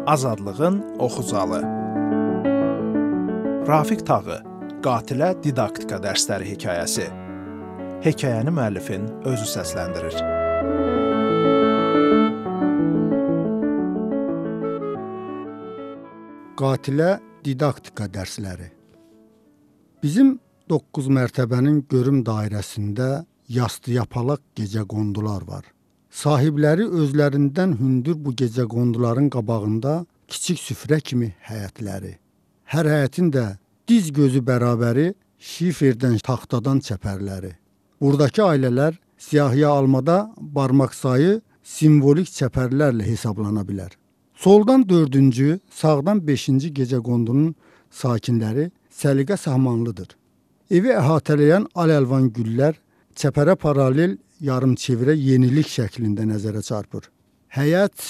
Azadlığın Oxucalı. Rafiq Tağı, Qatilə didaktika dərsləri hekayəsi. Hekayəni müəllifin özü səsləndirir. Qatilə didaktika dərsləri. Bizim 9 mərtəbənin görüm dairəsində yastı yapalaq gecəqondular var. Sahibləri özlərindən hündür bu gecəqonduların qabağında kiçik süfrə kimi həyətləri. Hər həyətin də diz gözü bərabəri şiferdən, taxtadan çəpərləri. Buradakı ailələr siyahıya almada barmaq sayı simvolik çəpərlərlə hesablana bilər. Soldan 4-cü, sağdan 5-ci gecəqondunun sakinləri səliqə sahmanlıdır. Evi əhatələyən al-əlvan güllər çəpərə paralel yarımçevrə yenilik şəklində nəzərə çarpır. Həyət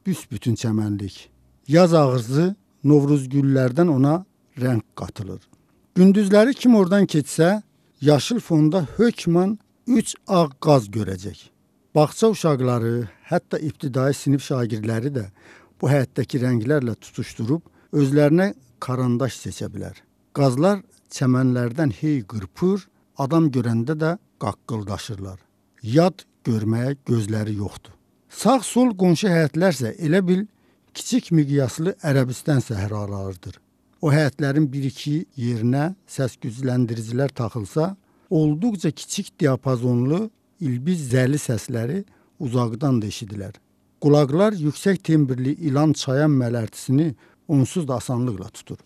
büsbütün çəmənlik. Yaz ağızı Novruz güllərdən ona rəng qatılır. Gündüzləri kim oradan keçsə, yaşıl fonda hökmən 3 ağ qaz görəcək. Bağça uşaqları, hətta ibtidai sinif şagirdləri də bu həyətdəki rənglərlə tutuşdurub özlərinə karandaş seçə bilər. Qazlar çəmənlərdən hey qırpır, adam görəndə də qaqqıldaşırlar. Yad görməyə gözləri yoxdur. Sağ-sol qonşu həyətlərsə elə bil kiçik miqyaslı Ərəbistan səhralarıdır. O həyətlərin bir-iki yerinə səs-gücləndiricilər taxılsa, olduqca kiçik diapazonlu ilbiz zəli səsləri uzaqdan da eşidilər. Qulaqlar yüksək tembrli ilan çayan mələrtisini onsuz da asanlıqla tutur.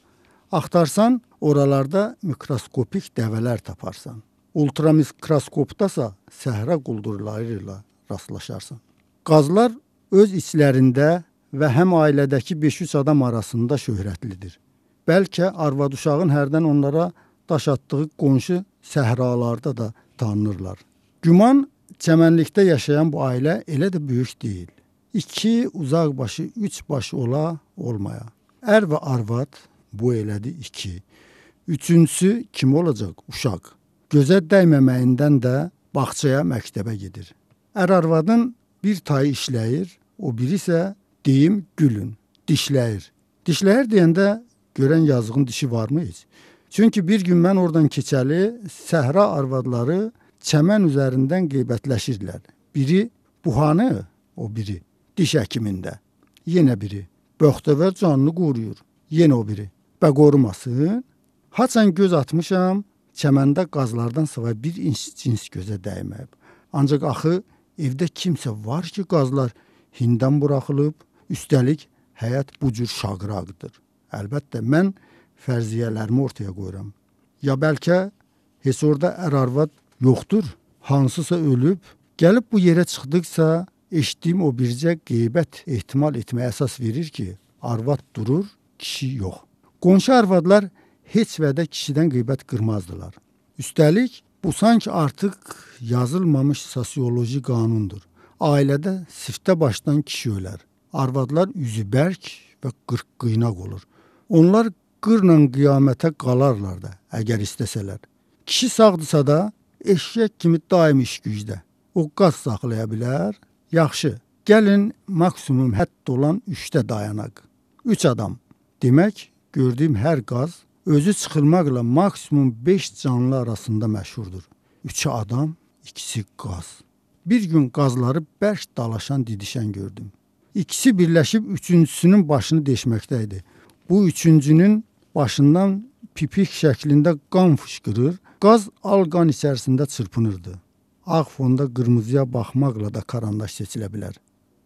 Axtarsan, oralarda mikroskopik dəvələr taparsan. Ultramikroskopdasa səhra quldurları ilə rastlaşarsan. Qazlar öz içlərində və həm ailədəki 5-3 adam arasında şöhrətlidir. Bəlkə arvad uşağın hərdən onlara daş atdığı qonşu səhralarda da tanınırlar. Güman, çəmənlikdə yaşayan bu ailə elə də böyük deyil. 2 uzaq başı, 3 başı ola, olmaya. Ər və arvad bu elədi 2. Üçüncüsü kim olacaq? Uşaq. Gözə dəyməməyindən də bağçaya, məktəbə gedir. Ər-arvadın bir tayı işləyir, o biri isə deyim gülün, dişləyir. Dişləyir deyəndə görən yazığın dişi varmı heç? Çünki bir gün mən oradan keçəli səhra arvadları çəmən üzərindən qeybətləşirlər. Biri buhanı, o biri diş həkimində. Yenə biri böxtəvər canını qoruyur. Yenə o biri. Bə qorumasın. Haçan göz atmışam, çəməndə qazlardan sıva bir cins gözə dəyməyib. Ancaq axı evdə kimsə var ki, qazlar hindən buraxılıb, üstəlik həyat bu cür şaqraqdır. Əlbəttə, mən fərziyyələrimi ortaya qoyuram. Ya bəlkə heç orada ər-arvad yoxdur, hansısa ölüb, gəlib bu yerə çıxdıqsa, eşitdiyim o bircə qeybət ehtimal etməyə əsas verir ki, arvad durur, kişi yox. Qonşu arvadlar heç vədə kişidən qeybət qırmazdılar. Üstəlik, bu sanki artıq yazılmamış sosioloji qanundur. Ailədə siftə başdan kişi ölər. Arvadlar üzü bərk və qırq-qıynaq olur. Onlar qırla qiyamətə qalarlar da, əgər istəsələr. Kişi sağdırsa da, eşək kimi daim iş gücdə. O qaz saxlaya bilər. Yaxşı, gəlin maksimum hədd olan 3-də dayanaq. 3 adam. Demək, gördüyüm hər qaz özü çıxılmaqla maksimum 5 canlı arasında məşhurdur. 3 adam, 2 qaz. Bir gün qazları bərk dalaşan, didişən gördüm. İkisi birləşib üçüncüsünün başını deşməkdəydi. Bu üçüncünün başından pipik şəklində qan fışqırır, qaz al qan içərisində çırpınırdı. Ağ fonda qırmızıya baxmaqla da karandaş seçilə bilər.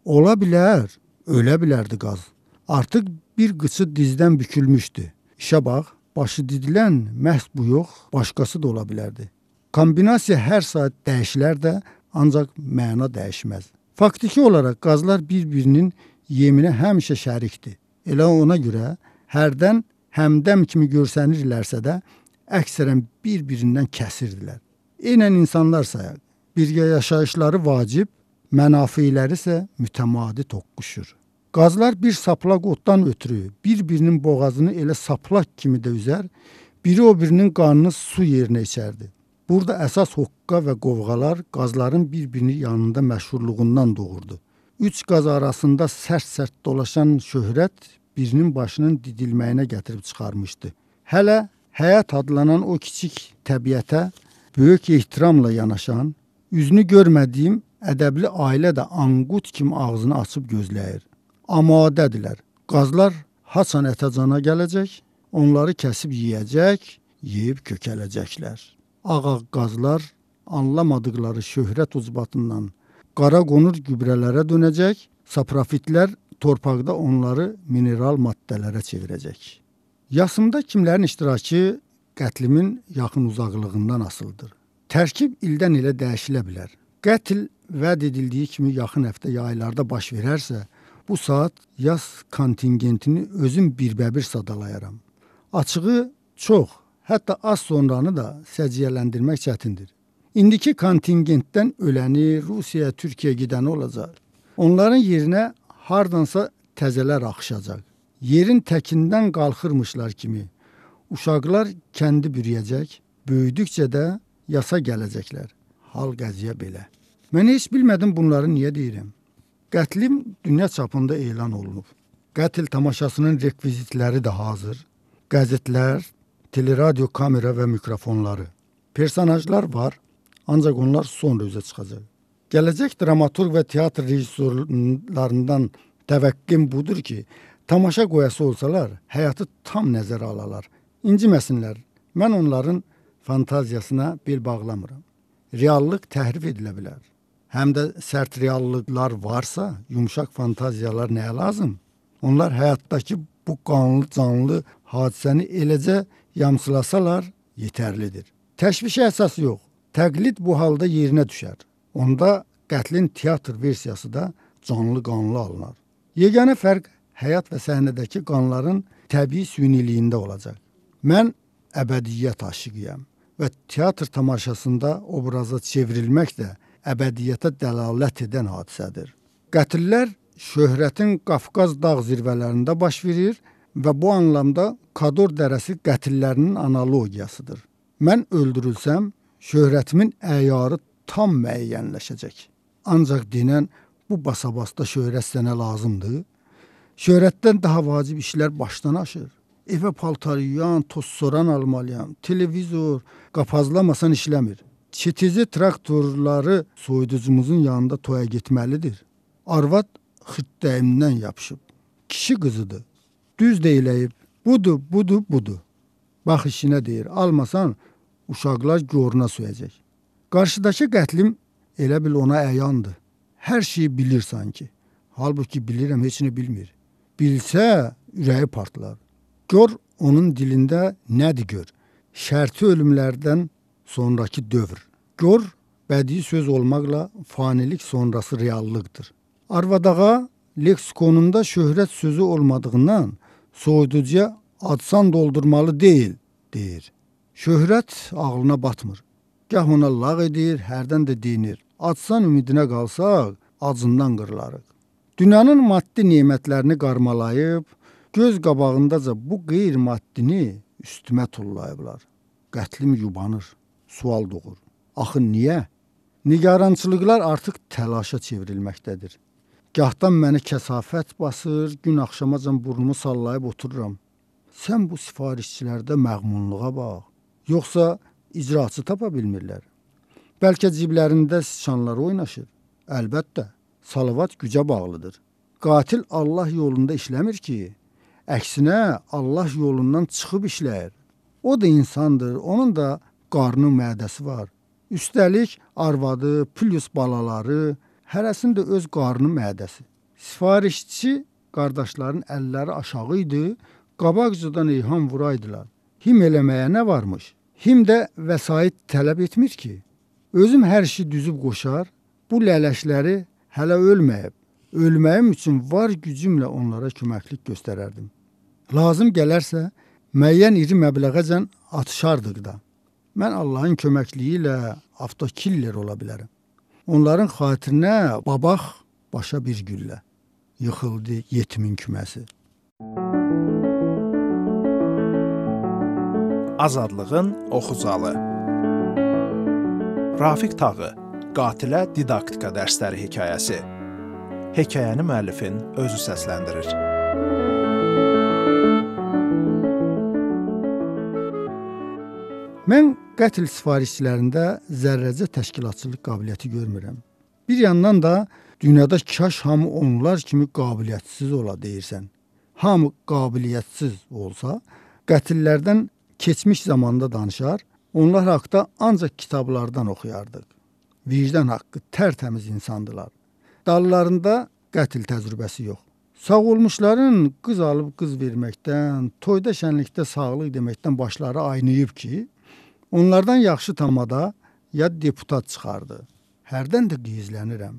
Ola bilər, ölə bilərdi qaz. Artıq bir qıçı dizdən bükülmüşdü. İşə bax, başı didilən məhz bu yox, başqası da ola bilərdi. Kombinasiya hər saat dəyişilər də, ancaq məna dəyişməz. Faktiki olaraq qazlar bir-birinin yeminə həmişə şərikdir. Elə ona görə hərdən həmdəm kimi görsənirlərsə də, əksərən bir-birindən kəsirdilər. Eynən insanlar sayaq. Birgə yaşayışları vacib, mənafiləri isə mütəmadi toqquşur. Qazlar bir saplaq otdan ötürü bir-birinin boğazını elə saplaq kimi də üzər, biri o birinin qanını su yerinə içərdi. Burada əsas hoqqa və qovğalar qazların bir-birini yanında məşhurluğundan doğurdu. Üç qaz arasında sərt-sərt dolaşan şöhrət birinin başının didilməyinə gətirib çıxarmışdı. Hələ həyat adlanan o kiçik təbiətə böyük ehtiramla yanaşan, üzünü görmədiyim ədəbli ailə də anqut kimi ağzını açıb gözləyir. Amadədirlər. Qazlar haçan ətəcana gələcək, onları kəsib yeyəcək, yeyib kökələcəklər. Ağa qazlar anlamadıqları şöhrət ucbatından qara qonur gübrələrə dönəcək, saprofitlər torpaqda onları mineral maddələrə çevirəcək. Yasımda kimlərin iştirakı qətlimin yaxın uzaqlığından asılıdır. Tərkib ildən ilə dəyişilə bilər. Qətl vəd edildiyi kimi yaxın həftə ya aylarda baş verərsə, bu saat yas kontingentini özüm birbəbir sadalayaram. Açığı çox, hətta az sonranı da səciyyələndirmək çətindir. İndiki kontingentdən öləni Rusiyaya, Türkiyəyə gedəni olacaq. Onların yerinə hardansa təzələr axışacaq. Yerin təkindən qalxırmışlar kimi. Uşaqlar kəndi bürüyəcək, böyüdükcə də yasa gələcəklər. Hal qəziyə belə. Mən heç bilmədim bunları niyə deyirəm. Qətlim dünya çapında elan olunub. Qətl tamaşasının rekvizitləri də hazır. Qəzetlər, teleradio kamera və mikrofonları. Personajlar var, ancaq onlar sonra üzə çıxacaq. Gələcək dramaturq və teatr rejissorlarından təvəqqim budur ki, tamaşa qoyası olsalar, həyatı tam nəzərə alalar. İnciməsinlər, mən onların fantaziyasına bel bağlamıram. Reallıq təhrif edilə bilər. Həm də sərt reallıqlar varsa, yumşaq fantaziyalar nəyə lazım? Onlar həyatdakı bu qanlı canlı hadisəni eləcə yamsılasalar yetərlidir. Təşvişə əsası yox. Təqlid bu halda yerinə düşər. Onda qətlin teatr versiyası da canlı qanlı alınar. Yeganə fərq həyat və səhnədəki qanların təbii süyniliyində olacaq. Mən əbədiyyət aşiqiyəm və teatr tamaşasında obraza çevrilmək də əbədiyyətə dəlalət edən hadisədir. Qətllər şöhrətin Qafqaz dağ zirvələrində baş verir və bu anlamda Kador dərəsi qətllərinin analogiyasıdır. Mən öldürülsəm, şöhrətimin əyarı tam müəyyənləşəcək. Ancaq denən bu basabasda şöhrət sənə lazımdır. Şöhrətdən daha vacib işlər başdan aşır. Evə paltar yuyan, toz soran almalıyam, televizor, qapazlamasan işləmir. Çetizi traktorları soyuducumuzun yanında toya getməlidir. Arvad xırtdəyimdən yapışıb. Kişi qızıdır. Düz deyiləyib. Budur. Bax işinə deyir. Almasan uşaqlar goruna söyəcək. Qarşıdakı qətlim elə bil ona əyandır. Hər şeyi bilir sanki. Halbuki bilirəm, heç nə bilmir. Bilsə ürəyi partlar. Gör onun dilində nədir gör? Şərti ölümlərdən sonraki dövr. Gör, bədii söz olmaqla fanilik sonrası reallıqdır. Arvadağa leksikonunda şöhrət sözü olmadığından soyuducuya adsan doldurmalı deyil, deyir. Şöhrət ağlına batmır. Gah ona lağ edir, hərdən də deyinir. Adsan ümidinə qalsaq, acından qırılarıq. Dünyanın maddi nemətlərini qarmalayıb, göz qabağındaca bu qeyri-maddini üstümə tullayıblar. Qətlim yubanır, sual doğur. Axı niyə? Nigarançılıqlar artıq təlaşa çevrilməkdədir. Gahdan məni kəsafət basır, gün axşamacan burnumu sallayıb otururam. Sən bu sifarişçilərdə məğmunluğa bax. Yoxsa icraçı tapa bilmirlər. Bəlkə ciblərində sıçanlar oynaşır. Əlbəttə, salavat gücə bağlıdır. Qatil Allah yolunda işləmir ki, əksinə Allah yolundan çıxıb işləyir. O da insandır, onun da qarnı, mədəsi var. Üstəlik arvadı, plus balaları, hərəsində öz qarnı, mədəsi. Sifarişçi qardaşların əlləri aşağı idi, qabaqcadan eyham vuraydılar. Him eləməyə nə varmış? Him də vəsait tələb etmir ki. Özüm hər işi düzüb qoşar, bu lələşləri hələ ölməyib. Ölməyim üçün var gücümlə onlara köməklik göstərərdim. Lazım gələrsə, müəyyən iri məbləğəcən atışardıq da. Mən Allahın köməkliyi ilə avtokiller ola bilərəm. Onların xatirinə babaq başa bir güllə. Yıxıldı yetimin küməsi. Azadlığın oxucalı. Rafiq Tağı, Qatilə didaktika dərsləri hekayəsi. Hekayəni müəllifin özü səsləndirir. Mən qətl sifarişçilərində zərrəcə təşkilatçılıq qabiliyyəti görmürəm. Bir yandan da dünyada kaş hamı onlar kimi qabiliyyətsiz ola deyirsən. Hamı qabiliyyətsiz olsa, qətillərdən keçmiş zamanda danışar, onlar haqqda ancaq kitablardan oxuyardıq. Vicdan haqqı tərtəmiz insandılar. Dallarında qətl təcrübəsi yox. Sağ olmuşların qız alıb qız verməkdən, toyda şənlikdə sağlıq deməkdən başları aynayıb ki, onlardan yaxşı tamada ya deputat çıxardı. Hərdən də qeyzlənirəm.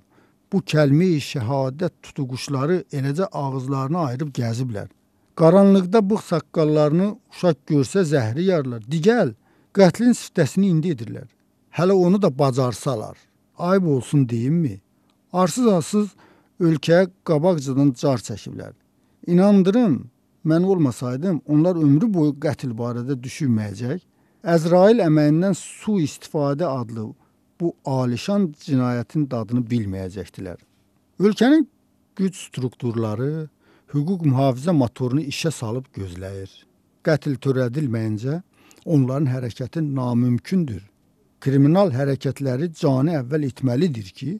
Bu kəlmə-i şəhadət tutuquşları eləcə ağızlarını ayırıb gəziblər. Qaranlıqda bığ saqqallarını uşaq görsə zəhri yarlar. Digəl, qətlin siftəsini indi edirlər. Hələ onu da bacarsalar. Ayıb olsun deyimmi? Arsız-arsız ölkəyə qabaqcadan car çəkiblər. İnandırım, mən olmasaydım, onlar ömrü boyu qətl barədə düşünməyəcək. Əzrail əməyindən sui-istifadə adlı bu alişan cinayətin dadını bilməyəcəkdilər. Ölkənin güc strukturları hüquq mühafizə motorunu işə salıb gözləyir. Qətl törədilməyincə onların hərəkəti namümkündür. Kriminal hərəkətləri canı əvvəl etməlidir ki,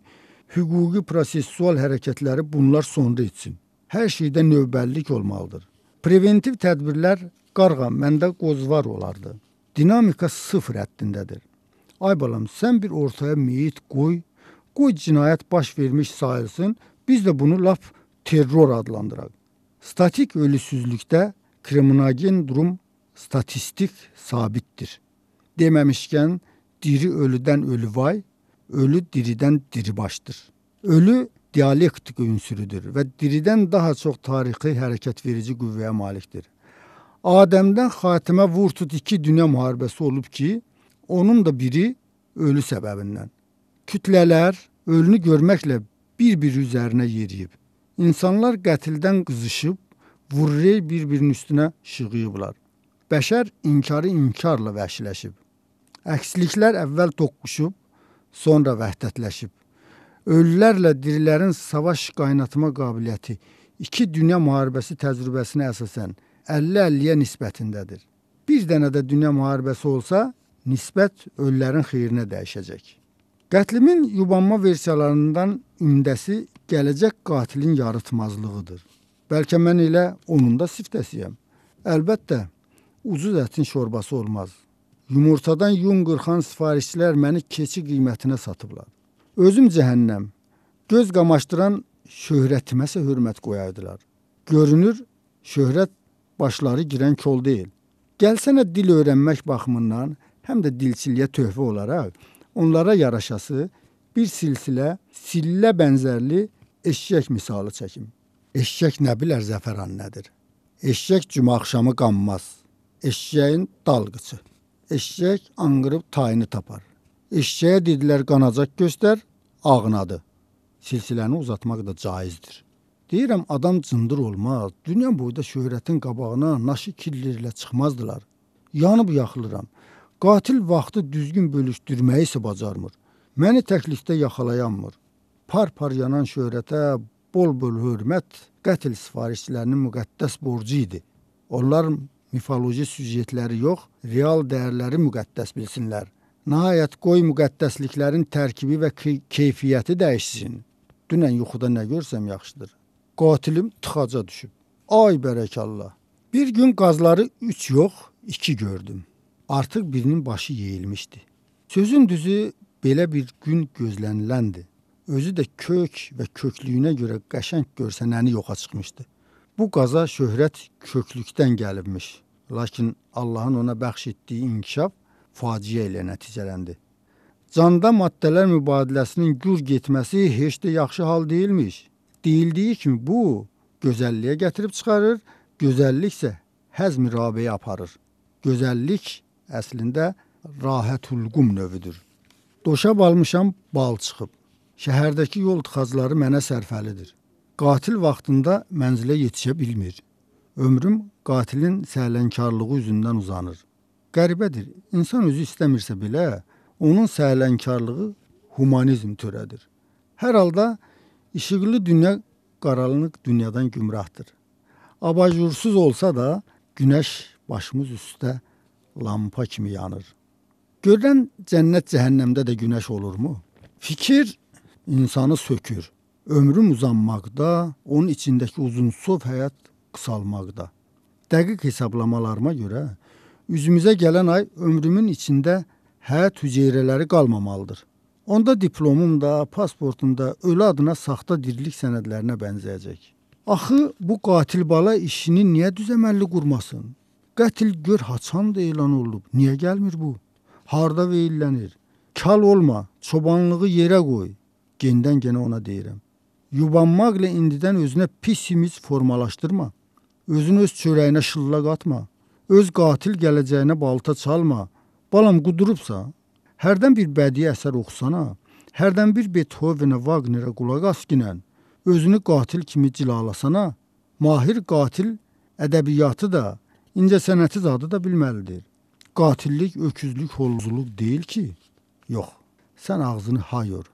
hüquqi prosessual hərəkətləri bunlar sonra etsin. Hər şeydə növbəllik olmalıdır. Preventiv tədbirlər qarğa, məndə qozvar olardı. Dinamika sıfır həddindədir. Ay balam, sən bir ortaya meyit qoy cinayət baş vermiş sayılsın, biz də bunu lap terror adlandıraq. Statik ölüsüzlükdə kriminogen durum statistik sabitdir. Deməmişkən, diri ölüdən ölü vay, ölü diridən diribaşdır. Ölü dialektik ünsürüdür və diridən daha çox tarixi hərəkət verici qüvvəyə malikdir. Adəmdən xatimə vurtut 2 dünya müharibəsi olub ki, onun da biri ölü səbəbindən. Kütlələr ölünü görməklə bir-bir üzərinə yeriyib. İnsanlar qətildən qızışıb, vurrey bir-birinin üstünə şığıyıblar. Bəşər inkarı inkarla vəhşiləşib. Əksliklər əvvəl toqquşub, sonra vəhdətləşib. Ölülərlə dirilərin savaş qaynatma qabiliyyəti 2 dünya müharibəsi təcrübəsinə əsasən 50-50-yə nisbətindədir. Bir dənə də dünya müharibəsi olsa, nisbət ölülərin xeyrinə dəyişəcək. Qətlimin yubanma versiyalarından ümdəsi gələcək qatilin yarıtmazlığıdır. Bəlkə mən elə onun da siftəsiyəm. Əlbəttə, ucuz ətin şorbası olmaz. Yumurtadan yun qırxan sifarişçilər məni keçi qiymətinə satıblar. Özüm cəhənnəm, göz qamaşdıran şöhrətiməsə hörmət qoyaydılar. Görünür, şöhrət başları girən kol deyil. Gəlsənə dil öyrənmək baxımından, həm də dilçiliyə töhfə olaraq, onlara yaraşası bir sillə bənzərli eşşək misalı çəkim. Eşşək nə bilər zəfəran nədir? Eşşək cümə axşamı qanmaz. Eşşəyin dalğıçı. Eşşək anqırıb tayını tapar. Eşşəyə dedilər qanacaq göstər, ağnadı. Silsiləni uzatmaq da caizdir. Deyirəm, adam cındır olmaz. Dünya boyda şöhrətin qabağına naşı killerlə çıxmazdılar. Yanıb yaxılıram. Qatil vaxtı düzgün bölüşdürməyi isə bacarmır. Məni təklikdə yaxalayanmır. Par-par yanan şöhrətə bol-bol hörmət qətl sifarişçilərinin müqəddəs borcu idi. Onlar mifoloji süjetləri yox, real dəyərləri müqəddəs bilsinlər. Nəhayət qoy müqəddəsliklərin tərkibi və keyfiyyəti dəyişsin. Dünən yuxuda nə görsəm yaxşıdır. Qatilim tıxaca düşüb. Ay bərəkallah. Bir gün qazları 3 yox, 2 gördüm. Artıq birinin başı yeyilmişdi. Sözün düzü belə bir gün gözləniləndir. Özü də kök və köklüyünə görə qəşəng görsənəni yoxa çıxmışdı. Bu qaza şöhrət köklükdən gəlibmiş. Lakin Allahın ona bəxş etdiyi inkişaf faciə ilə nəticələndi. Canda maddələr mübadiləsinin gür getməsi heç də yaxşı hal deyilmiş. Deyildiyi kimi bu, gözəlliyə gətirib çıxarır, gözəllik isə həzm-i rabeyə aparır. Gözəllik əslində rahətulqum növüdür. Doşab almışam, bal çıxıb. Şəhərdəki yol tıxacları mənə sərfəlidir. Qatil vaxtında mənzilə yetişə bilmir. Ömrüm qatilin səhlənkarlığı üzündən uzanır. Qəribədir, insan özü istəmirsə belə, onun səhlənkarlığı humanizm törədir. Hər halda İşıqlı dünya qaranlıq dünyadan gümrahdır. Abajursuz olsa da günəş başımız üstə lampa kimi yanır. Görülən cənnət cəhənnəmdə də günəş olurmu? Fikir insanı sökür. Ömrüm uzanmaqda, onun içindəki uzunsov həyat qısalmaqda. Dəqiq hesablamalarıma görə üzümüzə gələn ay ömrümün içində həyat hüceyrələri qalmamalıdır. Onda diplomum da, pasportum da ölü adına saxta dirilik sənədlərinə bənzəyəcək. Axı bu qatil bala işini niyə düzəməlli qurmasın? Qətil gör haçan da elan olub. Niyə gəlmir bu? Harda veyillənir? Kal olma, çobanlığı yerə qoy. Gendən genə ona deyirəm. Yubanmaqla indidən özünə pis imiz formalaşdırma. Özün öz çörəyinə şılla qatma. Öz qatil gələcəyinə balta çalma. Balam qudurubsa, hərdən bir bədii əsər oxusana, hərdən bir Beethovenə, Wagnerə qulaq as ginən, özünü qatil kimi cilalasana, mahir qatil ədəbiyyatı da, incəsənəti zadı da bilməlidir. Qatillik, öküzlük, holuzluq deyil ki. Yox, sən ağzını ha yor.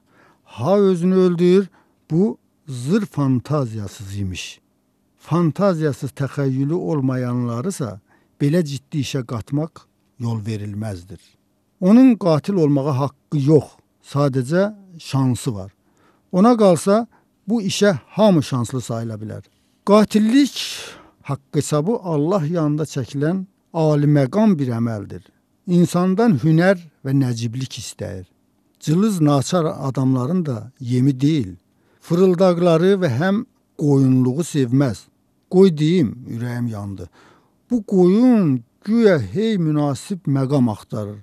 Ha özünü öldür, bu zır fantaziyasız imiş. Fantaziyasız təxəyyülü olmayanlarısa belə ciddi işə qatmaq yol verilməzdir. Onun qatil olmağa haqqı yox, sadəcə şansı var. Ona qalsa bu işə hamı şanslı sayıla bilər. Qatillik haqq hesabı Allah yanında çəkilən aliməqam bir əməldir. İnsandan hünər və nəciblik istəyir. Cılız naçar adamların da yemi deyil. Fırıldaqları və həm qoyunluğu sevməz. Qoy deyim, ürəyim yandı. Bu qoyun güya hey münasib məqam axtarır.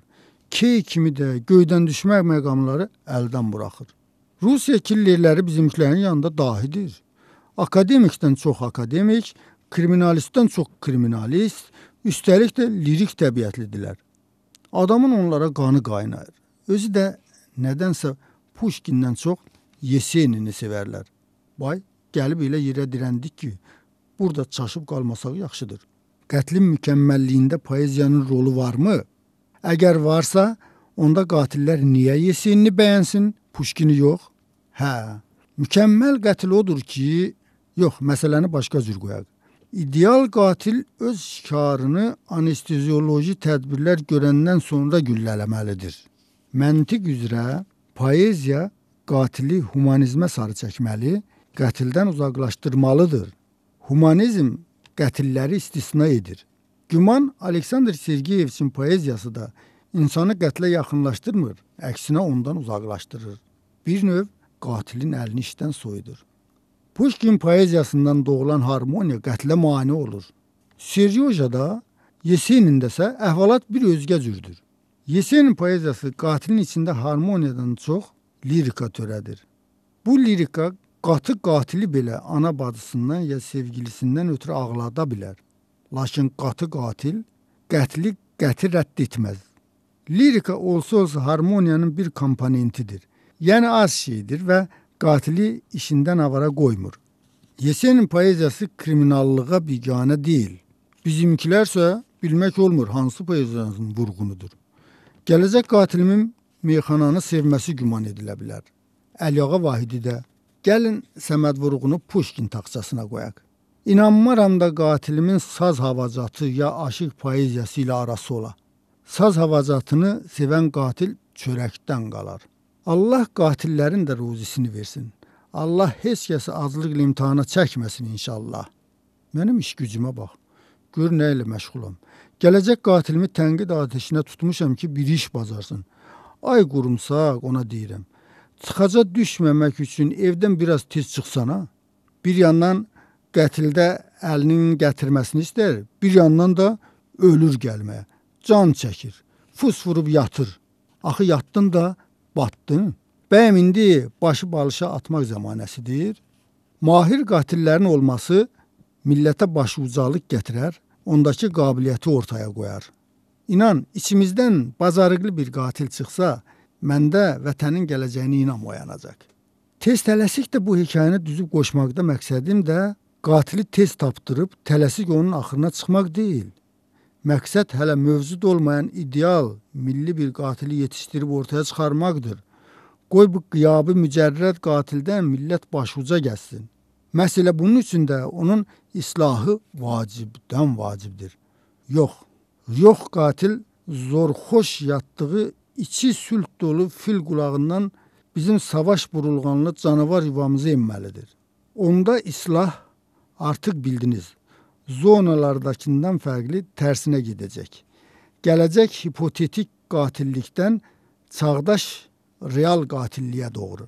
Key kimi də göydən düşmək məqamları əldən buraxır. Rusiya killerləri bizimkilərin yanında dahidir. Akademikdən çox akademik, kriminalistdən çox kriminalist, üstəlik də lirik təbiətlidirlər. Adamın onlara qanı qaynayır. Özü də nədənsə Pushkindən çox Yesenini sevərlər. Vay, gəlib elə yerə dirəndik ki, burada çaşıb qalmasaq yaxşıdır. Qətlin mükəmməlliyində poeziyanın rolu varmı? Əgər varsa, onda qatillər niyə Yesenini bəyənsin, Pushkini yox? Hə, mükəmməl qətil odur ki, yox, məsələni başqa cür qoyaq. İdeal qatil öz şikarını anestezioloji tədbirlər görəndən sonra güllələməlidir. Məntiq üzrə poeziya qatili humanizmə sarı çəkməli, qətildən uzaqlaşdırmalıdır. Humanizm qətilləri istisna edir. Güman Aleksandr Sergeyeviçin poeziyası da insanı qətlə yaxınlaşdırmır, əksinə ondan uzaqlaşdırır. Bir növ qatilin əlini işdən soyudur. Pushkin poeziyasından doğulan harmoniya qətlə mane olur. Seryojada, Yesenində isə əhvalat bir özgə cürdür. Yesenin poeziyası qatilin içində harmoniyadan çox lirika törədir. Bu lirika qatı qatili belə ana bacısından ya sevgilisindən ötürü ağlada bilər. Lakin qatı qatil qətli qəti rədd etməz. Lirika olsa harmoniyanın bir komponentidir. Yəni az şeydir və qatili işindən avara qoymur. Yesenin poeziyası kriminallığa biganə deyil. Bizimkilərsə bilmək olmur hansı poeziyanın vurğunudur. Gələcək qatilimin meyxananı sevməsi güman edilə bilər. Əliağa Vahidi də gəlin Səməd Vurğunu Pushkin taxçasına qoyaq. İnanmaram da qatilimin saz havacatı ya aşıq poeziyası ilə arası ola. Saz havacatını sevən qatil çörəkdən qalar. Allah qatillərin də ruzisini versin. Allah heç kəsi aclıqla imtihana çəkməsin inşallah. Mənim iş gücümə bax. Gör nə ilə məşğulam. Gələcək qatilimi tənqid ateşinə tutmuşam ki, bir iş bacarsın. Ay qurumsaq ona deyirəm. Çıxaca düşməmək üçün evdən biraz tez çıxsana. Bir yandan qətildə əlinin gətirməsini istər, bir yandan da ölür gəlməyə. Can çəkir, fus vurub yatır. Axı yatdın da batdın. Bəyəm indi başı balışa atmaq zəmanəsidir. Mahir qatillərin olması millətə başı ucalıq gətirər, ondakı qabiliyyəti ortaya qoyar. İnan, içimizdən bacarıqlı bir qatil çıxsa, məndə vətənin gələcəyini inam oyanacaq. Tez tələsik də bu hekayəni düzüb qoşmaqda məqsədim də qatili tez tapdırıb tələsik onun axırına çıxmaq deyil. Məqsəd hələ mövcud olmayan ideal, milli bir qatili yetişdirib ortaya çıxarmaqdır. Qoy bu qiyabı mücərrəd qatildən millət başuca gəlsin. Məsələ bunun üçün də onun islahı vacibdən vacibdir. Yox qatil zorxoş yatdığı içi sülh dolu fil qulağından bizim savaş burulğanlı canavar yuvamızı emməlidir. Onda islah artıq bildiniz, zonalardakından fərqli tərsinə gedəcək. Gələcək hipotetik qatillikdən çağdaş real qatilliyə doğru.